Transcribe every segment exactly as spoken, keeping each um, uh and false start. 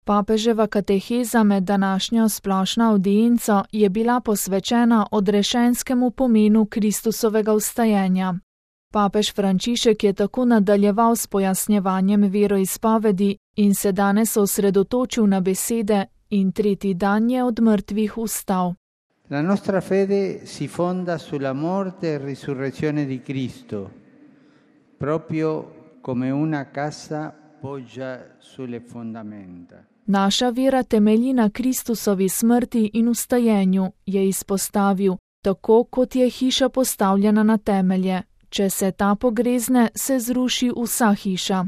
Papeževa kateheza med današnjo splošno avdienco je bila posvečena odrešenskemu pomenu Kristusovega vstajenja. Papež Frančišek je tako nadaljeval s pojasnjevanjem veroizpovedi in se danes osredotočil na besede in tretji dan je od mrtvih vstal. La nostra fede si fonda sulla morte e risurrezione di Cristo, proprio come una casa poggia sulle fondamenta. Naša vera temelji na Kristusovi smrti in vstajenju, je izpostavil, tako kot je hiša postavljena na temelje. Če se ta pogrezne, se zruši vsa hiša.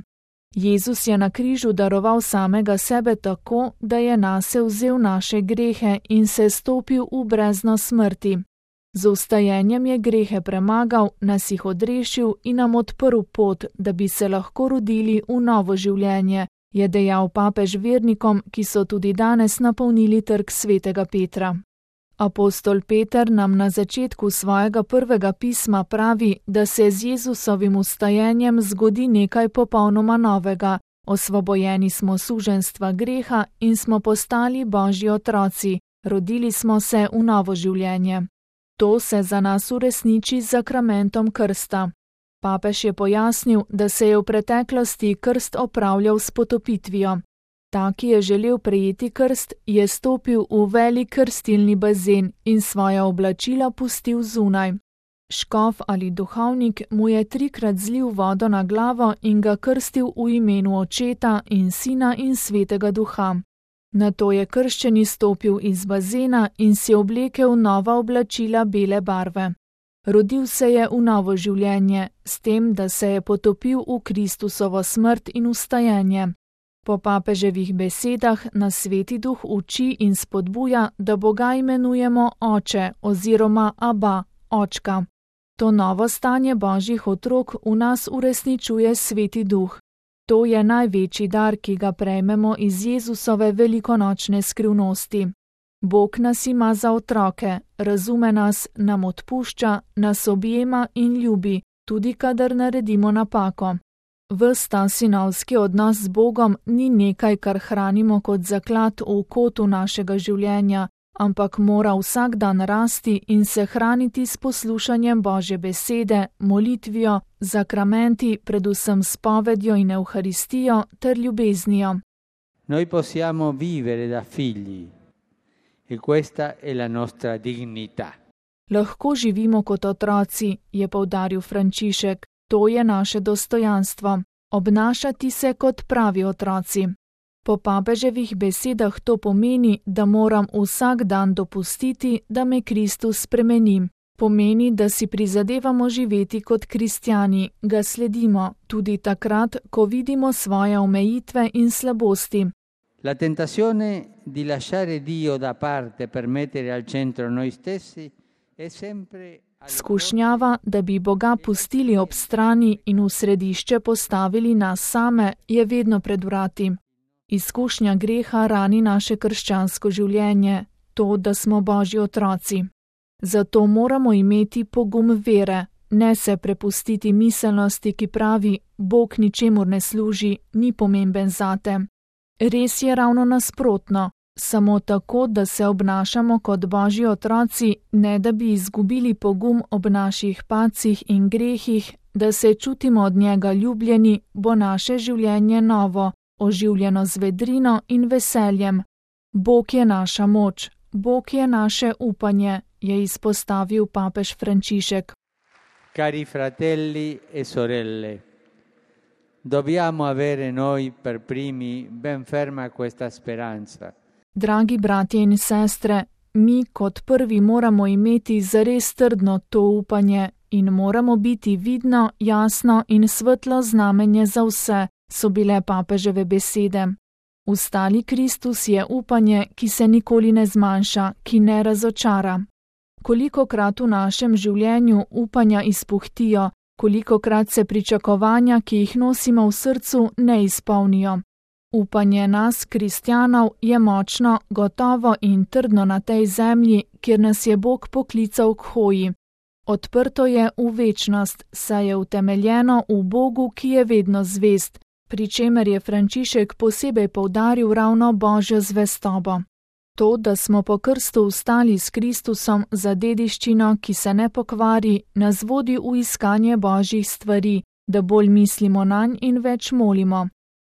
Jezus je na križu daroval samega sebe tako, da je nase vzel naše grehe in se stopil v brezno smrti. Z vstajenjem je grehe premagal, nas jih odrešil in nam odprl pot, da bi se lahko rodili v novo življenje, je dejal papež vernikom, ki so tudi danes napolnili trg svetega Petra. Apostol Peter nam na začetku svojega prvega pisma pravi, da se z Jezusovim vstajenjem zgodi nekaj popolnoma novega. Osvobojeni smo suženjstva greha in smo postali Božji otroci, rodili smo se v novo življenje. To se za nas uresniči z zakramentom krsta. Papež je pojasnil, da se je v preteklosti krst opravljal s potopitvijo. Ta, ki je želel prejeti krst, je stopil v velik krstilni bazen in svoja oblačila pustil zunaj. Škof ali duhovnik mu je trikrat zlil vodo na glavo in ga krstil v imenu Očeta in Sina in Svetega Duha. Nato je krščeni stopil iz bazena in si oblekel nova oblačila bele barve. Rodil se je v novo življenje, s tem, da se je potopil v Kristusovo smrt in vstajenje. Po papeževih besedah nas Sveti Duh uči in spodbuja, da Boga imenujemo Oče oziroma Aba, Očka. To novo stanje Božjih otrok v nas uresničuje Sveti Duh. To je največji dar, ki ga prejmemo iz Jezusove velikonočne skrivnosti. Bog nas ima za otroke, razume nas, nam odpušča, nas objema in ljubi, tudi kadar naredimo napako. Ves ta sinovski odnos z Bogom ni nekaj, kar hranimo kot zaklad v kotu našega življenja, ampak mora vsak dan rasti in se hraniti s poslušanjem Božje besede, molitvijo, zakramenti, predvsem spovedjo in evharistijo ter ljubeznijo. Noi possiamo vivere da figli e questa è la nostra dignità. Lahko živimo kot otroci, je poudaril Frančišek. To je naše dostojanstvo, obnašati se kot pravi otroci. Po papeževih besedah to pomeni, da moram vsak dan dopustiti, da me Kristus spremeni. Pomeni, da si prizadevamo živeti kot kristjani, ga sledimo, tudi takrat, ko vidimo svoje omejitve in slabosti. La tentazione di lasciare Dio da parte per mettere al centro noi stessi è sempre Skušnjava, da bi Boga pustili ob strani in v središče postavili nas same, je vedno pred vrati. Izkušnja greha rani naše krščansko življenje, to, da smo Božji otroci. Zato moramo imeti pogum vere, ne se prepustiti miselnosti, ki pravi, Bog ničemur ne služi, ni pomemben zate. Res je ravno nasprotno. Samo tako, da se obnašamo kot Božji otroci, ne da bi izgubili pogum ob naših pacih in grehih, da se čutimo od njega ljubljeni, bo naše življenje novo, oživljeno z vedrino in veseljem. Bog je naša moč, Bog je naše upanje, je izpostavil papež Frančišek. Cari fratelli e sorelle, dobbiamo avere noi per primi ben ferma questa speranza. Dragi bratje in sestre, mi kot prvi moramo imeti zares trdno to upanje in moramo biti vidno, jasno in svetlo znamenje za vse, so bile papeževe besede. Vstali Kristus je upanje, ki se nikoli ne zmanjša, ki ne razočara. Kolikokrat v našem življenju upanja izpuhtijo, kolikokrat se pričakovanja, ki jih nosimo v srcu, ne izpolnijo. Upanje nas, kristjanov, je močno, gotovo in trdno na tej zemlji, kjer nas je Bog poklical k hoji. Odprto je v večnost, saj je utemeljeno v Bogu, ki je vedno zvest, pri čemer je Frančišek posebej poudaril ravno Božjo zvestobo. To, da smo po krstu vstali s Kristusom za dediščino, ki se ne pokvari, nas vodi v iskanje Božjih stvari, da bolj mislimo nanj in več molimo.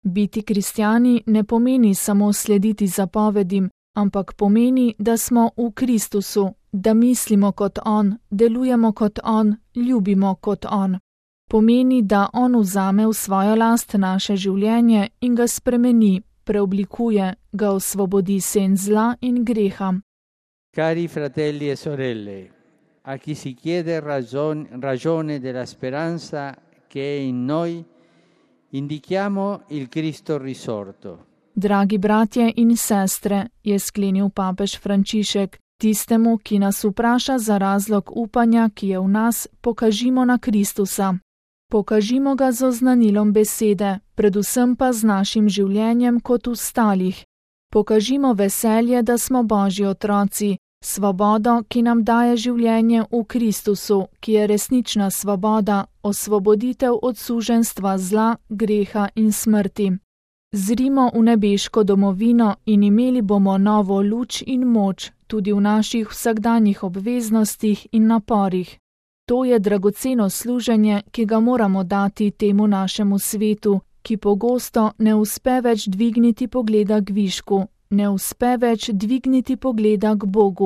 Biti kristjani ne pomeni samo slediti zapovedim, ampak pomeni, da smo v Kristusu, da mislimo kot On, delujemo kot On, ljubimo kot On. Pomeni, da On vzame v svojo last naše življenje in ga spremeni, preoblikuje, ga osvobodi sen zla in greha. Cari fratelli e sorelle, a chi si chiede ragion, ragione della speranza che è in noi, indichiamo il Cristo risorto. Dragi bratje in sestre, je sklenil papež Frančišek, tistemu, ki nas vpraša za razlog upanja, ki je v nas, pokažimo na Kristusa. Pokažimo ga z oznanilom besede, predvsem pa z našim življenjem kot ostalih. Pokažimo veselje, da smo Božji otroci, svobodo, ki nam daje življenje v Kristusu, ki je resnična svoboda, osvoboditev od suženjstva zla, greha in smrti. Zrimo v nebeško domovino in imeli bomo novo luč in moč tudi v naših vsakdanjih obveznostih in naporih. To je dragoceno služenje, ki ga moramo dati temu našemu svetu, ki pogosto ne uspe več dvigniti pogleda k višku, ne uspe več dvigniti pogleda k Bogu.